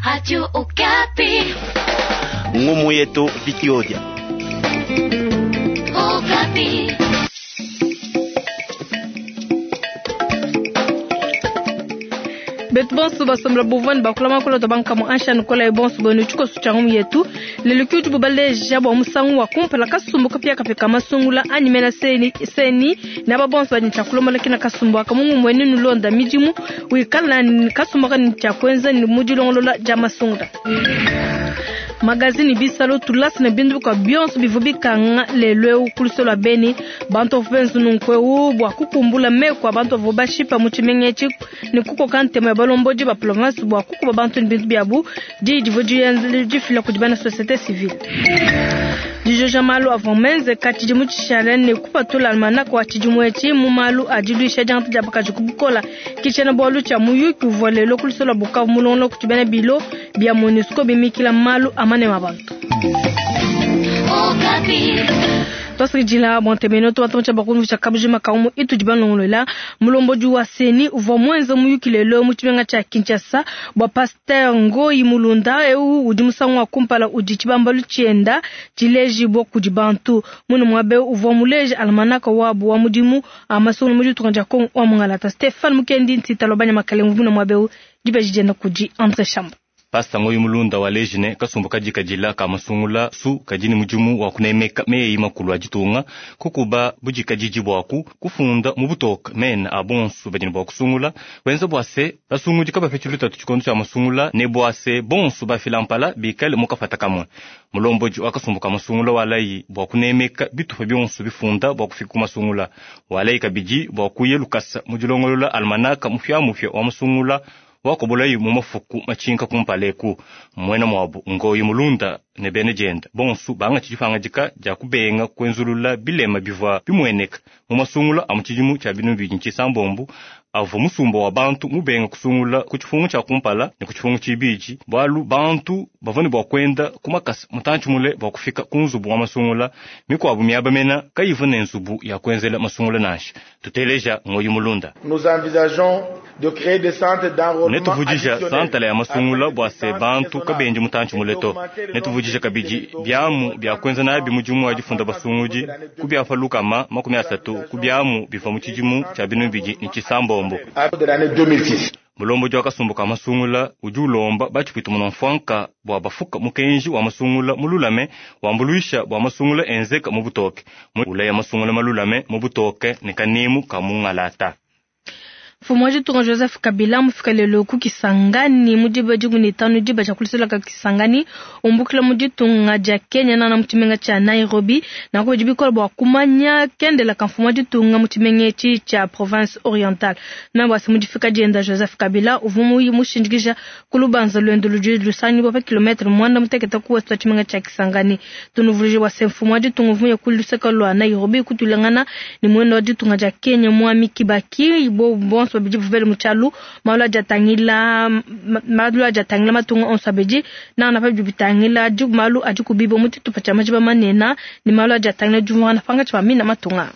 Radio Okapi. Ngumu yetu Vikiodia. Okapi. Betu bonso basombela buvua ne bakula makolo to bankamu ansha nikola bonso bonu tshikoso tshia ngumu yetu lelo ki udibu baleja bua musangu wa kumpala kasumbu kapiakapia ka masungula anyi mena seni, seni ne aba bonso badi ne tshia kulombola kina kasumbu aka mu ngumu enu nulonda midimu wikala ne kasumbu aka ne tshia kuenza ne mu dilongolola dia masungula. Magazini bisalo tulasa ne bintu bikuabu bionso bivua bikanga lelu eu ku luseke lua Beni. Bantu bavua benza nunku eu bua kukumbula meku a bantu bavua bashipa mu tshimenga etshi ne kukoka ntema ya balombodi ba province bua kukuba bantu ne bintu biabu. Diyi divua difila kudi bena societe civile. Dijoja malu avua menzeka tshidimu tshishale ne kupatula almanaka wa tshidimu etshi mu malu a diluisha diangata dia bakaji ku bukola ke tshiena-bualu tshia muyuki uvua lelo ku luseke lua Bukavu mulongolola kudi bena bilo bia MONUSCO bimikila malu a manema a bantu. Twasakidila bua ntemeno tubatumtsha bakumvisha kabujima kaumu itudi balongolola. Mulombodi wa CENI uvua muenze muyuki lelo mu tshimenga tshia Kinshasa bua Pasteur Ngoyi Mulunda. Eu udi musangu wa kumpala udi tshibambalu tshienda tshilejibua kudi bantu. Munu muabe uvua muleje almanaka wabu wa mudimu a masungula mu ditunga dia Kongo wa Mungalata. Stéphane Mukendi Ntita Lobanya Makalenge munu muabe eu dibeji dienda kudi André Chamba. Pasta Ngoyi Mulunda waleji ne kasumbu kadi kadila ka masungula su kadi ne mudimu wa kunemeka meyi makulu a ditunga kukuba budikadidi buaku kufunda mu butoka mena a bonso badi ne bua kusungula kuenza bua se basungudi kabapetshi lutatu tshikondo tshia masungula ne bua se bonso bafila mpala bikale mu kafata kamue. Mulombodi wa kasumbu ka masungula walayi bua kunemeka bitupa bionso bifunda bua kufika ku masungula. Walayi kabidi bua kuya lukasa mu dilongolola almanaka mupiamupia wa masungula wakobolayi mu mafuku matshinka kumpala eku. Muena muabu Ngoyi Mulunda ne bena dienda bonso bangatshi dipangadika dia kubenga kuenzulula bilema bivua bimueneka mu masungula a mu tshidimu tshia binunu bibidi ne tshisambombo avua musumba wa bantu mubenga kusungula ku tshifungu tshia kumpala ne ku tshifungu tshibidi bualu bantu bavua ne bua kuenda ku makasa mutantshi mule bua kufika ku nzubu wa masungula. Mikuabu miaba mena kayivua ne nzubu ya kuenzela masungula nansha. Tuteleja Ngoyi Mulunda. Nous envisageons de créer des centres d'enrôlement Netuvudija additionnels santala ya masungula afin bua que se les bantu centres kabendi mutantshi mule to. Netuvudija kabidi biamu bia kuenza nabi mudimu wa difunda basungudi ku biapa lukama makumi asatu ku biamu bivua mu tshidimu tshia binunu bibidi ne tshisambombo. de l'année 2006. Mulombodi wa kasumbu ka masungula udi ulomba batshipwita munamfwanka bua bafuka mukenji wa masungula mululame wambuluisha bua masungula enzeka mu butoke. Ulaya masungula malulame mu butoke ne kanemu ka mungalata. Mfumu wa ditunga Joseph Kabila mufika lelo ku Kisangani mu diba dikumi ne tanu diba dia kulusela ka Kisangani umbukila mu ditunga dia Kenya nana mu tshimenga tshia Nairobi. Nanku bidi bikola bua kumanya kendela ka mfumu wa ditunga mu tshimenga etshi tshia province orientale. Na bua se mu difika dienda Joseph Kabila uvua mushindikija ku lubanza luende ludi lusangibua pa kilometre muanda mutekete ku ouest wa tshimenga tshia Kisangani. Tunuvuluije bua se mfumu wa ditunga uvua muye ku luseke lua Nairobi kutulangana ne muenda wa ditunga dia Kenya Mwami Kibaki bo bonso babidi bavua bele mu tshialu malu adi atangila malu adi atangila matunga onso abidi nana pa bidi bitangila malu adi kubiba mu tshitupa tshia majiba manene ne malu adi atangila diumvuangana pankatshi pa mina matunga.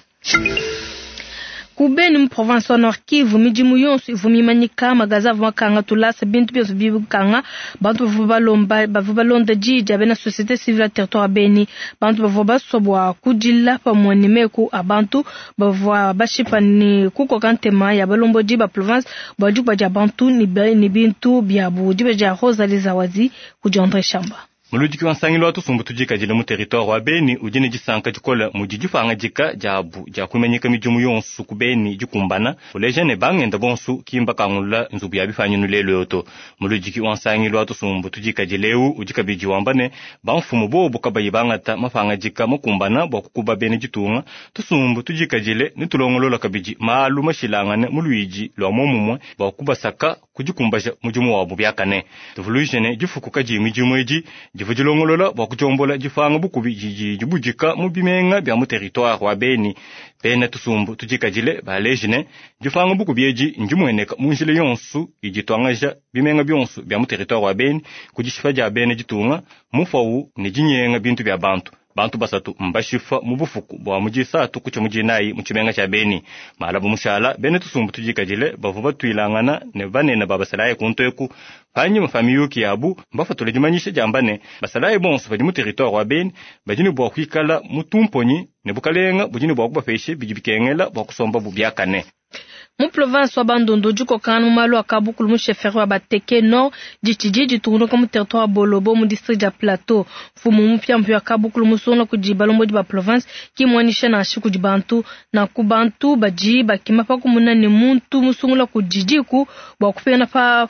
Ku Beni mu province wa Nord Kivu midimu yonso ivua mimanyika magaza avua makanga tulasa bintu bionso bikanga bantu bavua balomba bavua balonda diyi dia bena société civile ya territoire ya Beni. Bantu bavua basua bua kudila pamue ne meku a bantu bavua bashipa ne kukoka ntema ya balombodi ba province bua dikuba dia bantu ne bintu biabu. Diba dia Rosalie Zawadi kudi André Chamba. Muludiki wa nsangilu wa tusumbu tudikadile mu territoire wa Beni udi ne disanka dikole mudi dipangadika diabu dia kumanyika midimu yonso ku Beni dikumbana uleja ne bangenda bonso kimba kangula nzubu ya bipanyinu lelo yo to. Muludiki wa nsangilu wa tusumbu tudikadile eu udi kabidi wamba ne bamfumu bobu kabayi bangata mapangadika makumbana bua kukuba bena ditunga tusumbu tudikadile ne tulongolola kabidi malu mashilangane mu luidi lua momumue bua kubasaka kudikumbaja mudimu wabu biakane. Tuvuluije ne difuku kadi midimu edi divu dilongolola bua kudiombola dipanga bukubi didi dibudika mu bimenga bia mu territoire wa Beni. Bena tusumbu tudikadile baleji ne dipanga bukubi edi ndimueneka mu njila yonso idi tuangaja bimenga bionso bia mu territoire wa Beni ku dishipa dia bena ditunga mufawu ne dinyenga bintu bia bantu. Bantu basatu mbashifa mu bufuku bua mu disatu kutshia mu dinayi mu tshimenga tshia Beni. Malabu mushala bena tusumbu tudikadile bavua batuilangana ne banene ba basalayi kuntu eku. Panyima pa miyuki yabu mbafatule dimanyisha diamba ne basalayi bonso badi mu territoire wa Beni badi ne bua kuikala mu tumponyi ne bukalenga budi ne bua kubapesha bidi bikengela bua kusomba bu biakane. Mu province wa Bandundu dikokangana mu malu a kabukulu mu chefferie wa Bateke Nord ditshidi ditungunuka mu territoire wa Bolobo mu district dia Plateau. Mfumu mupiamupia wa kabukulu musungula kudi balombodi ba province ki muanyisha nansha kudi bantu na ku bantu badi bakima pa kumuna ne muntu musungula kudi diku bua kupingana pa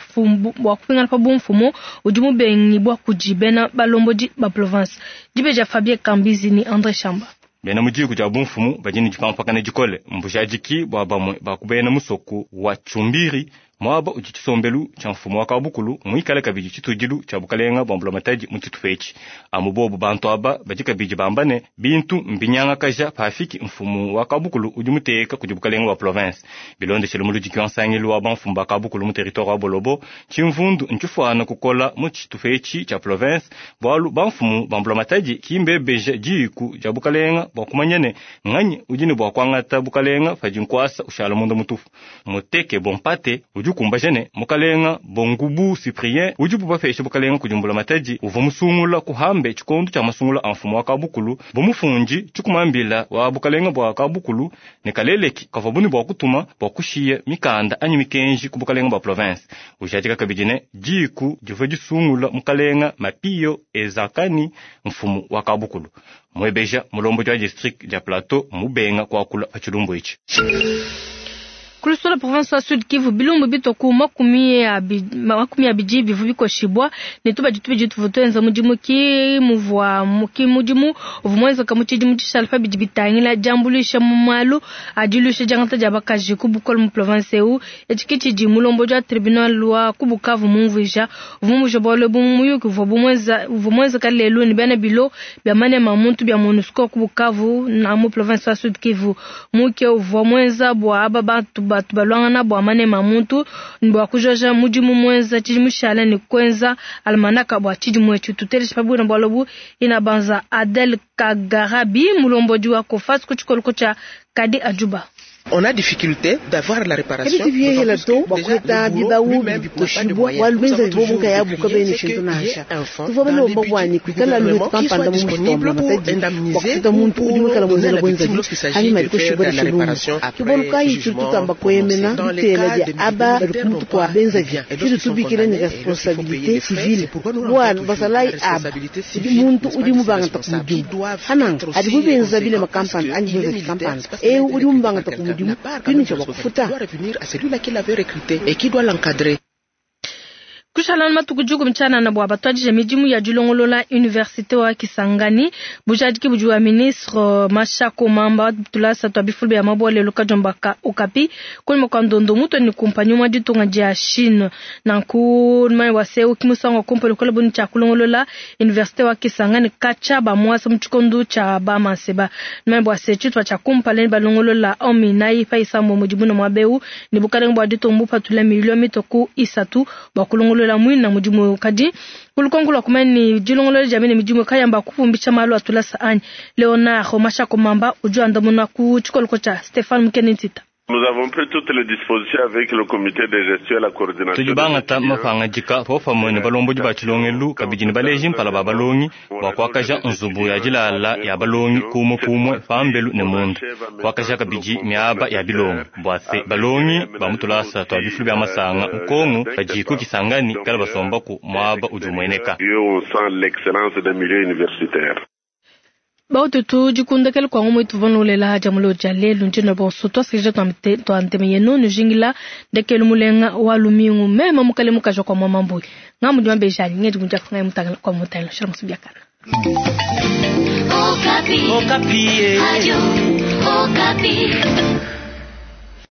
bua kupingana pa bumfumu udi mubengibua kudi bena balombodi ba province. Dibeja Fabien Kambizi ni André Chamba. Bena mu diku dia bumfumu badi ne dipampakana dikole mbujadiki bua bamue bakubena musoku wa Chumbiri mwaba udi tshisombelu tshia mfumu wa kabukulu muikale kabidi tshitudilu tshia bukalenga bua mbulamatadi mu tshitupa etshi. Amu bobu bantu aba badi kabidi bamba ne bintu mbinyangakaja pafiki mfumu wa kabukulu udi muteka kudi bukalenga bua province. Bilondeshele muludiki wa nsangilu wa bamfumu ba kabukulu mu territoire wa Bolobo, tshimvundu ntshifuana kukola mu tshitupa etshi tshia province bualu bamfumu ba mbulamatadi kimbebeja diku dia bukalenga bua kumanya ne nganyi udi ne bua kuangata bukalenga padi nkuasa ushala munda mutupu. Muteke bompate udi kumbaja ne mukalenga Bongubu Cyprien udi bubapesha bukalenga kudi mbulamatadi uvua musungula kuhambe tshikondo tshia masungula a mfumu wa kabukulu bumufundi tshikumambila wa bukalenga bua kabukulu ne kaleleki kavua buni bua kutuma bua kushiya mikanda anyi mikenji ku bukalenga bua province. Ujadika kabidi ne diku divua disungula mukalenga Mapio Ezakani mfumu wa kabukulu. Mwebeja mulombodi wa district dia Plateau mubenga kuakula pa tshilumbu etshi. Kulusola province wa Sud Kivu bilumbu bitoku makumi abidi bivu bikoshibwa ne tubadi tubidi tuvua tuenza mudimu ki muvua ki mudimu uvua muenzeka mu tshidimu tshishala pa bidi bitangila diambuluisha mu malu a diluisha diangata dia bakaji ku bukole mu province eu. Etshi ke tshidi mulombodi wa tribunal wa ku Bukavu mumvuija uvua mumvuija bualu ebu mu muyuki uvua muenzeka lelu ne bena bilo bia manema muntu bia MONUSCO ku Bukavu na mu province wa Sud Kivu. Muke uvua muenza bua aba bantu batu balwangana bua manema muntu bua kujoja mudimu muenza tshidimu tshishala ne kuenza almanaka bua tshidimu etshi. Tutelesha pa bwina bualu ebu ina banza Adel Kagarabi mulombodi wa Kofas ku tshikoloko tshia Kadi Ajuba. On a difficulté d'avoir la réparation. Déjà, le bourreau lui-même n'a pas de moyens. Nous avons toujours décrié, c'est qu'il y ait un fonds dans les budgets du gouvernement qui soit disponible pour indemniser ou pour donner à la victime lorsqu'il s'agit de faire la réparation après jugement prononcé. Dans les cas des militaires n'ont pas de biens et lorsqu'ils sont condamnés et lorsqu'il faut payer des frais, c'est pourquoi nous rentrons toujours la responsabilité civile, n'est-ce pas, de ces responsables qui doivent être aussi conséquents parce qu'il est militaire, c'est parce qu'il a été recruté par quelqu'un. N'a pas quand même de responsabilité, doit revenir à celui-là qui l'avait recruté et qui doit l'encadrer. Kushalana matuku juku mchana na bwa batwadije midimu ya dilongolola universite wa Kisangani bujadiki budi wa ministre Mashako Mamba tulasa twa bifulu bya mabole lukajombaka okapi kulima kwa ndondo muto ni kumpanyi mwa ditunga dia Chine nanku mai wase kimusango kompelo kola boni cha kulongolola universite wa Kisangani kacha ba mwasa mchikondo cha ba manseba mai bwase chitwa cha kumpale balongolola omi nayi paisa mu mudimu na mwabeu ni bukalenga bwa ditumbu patula milioni mitoku isatu bwa kulongolola la mwina mudimu kadi kulukongo kumani dilongolo jamene midimu kayamba kupumbisha malu atulasa anyi Leonard Mashako Mamba ujuanda muna ku chikoloko cha Stefan Mukenitita. Nous avons pris toutes les dispositions avec le comité de gestion et la coordination. Tudi bangata mapangajika popamwe ne balombodi ba tshilongelu kabidi ne baleji mpala ba balongi bua kuakaja nzubu ya dilala ya balongi kumwe kumwe pambelu ne munda kuakaja kabidi miaba ya bilongo bua se balongi ba mutulasa twa bifulu bya masanga nkongo badi ku Kisangani kala basombaku muaba udi umueneka. On sent l'excellence des milieux universitaires. Baututu dikundakela kwa ngomo ituvanolela haja mulo ja lelu njino bonso twasikija twanteme yenu nujingila ndekelu mulenga wa lumingu mema mukale mukaja kwa mama mbui ngamu dimambe jani ngedi kunja funga mutangala kwa mutangala shira musubiakana. Okapi. Okapi. Radio Okapi.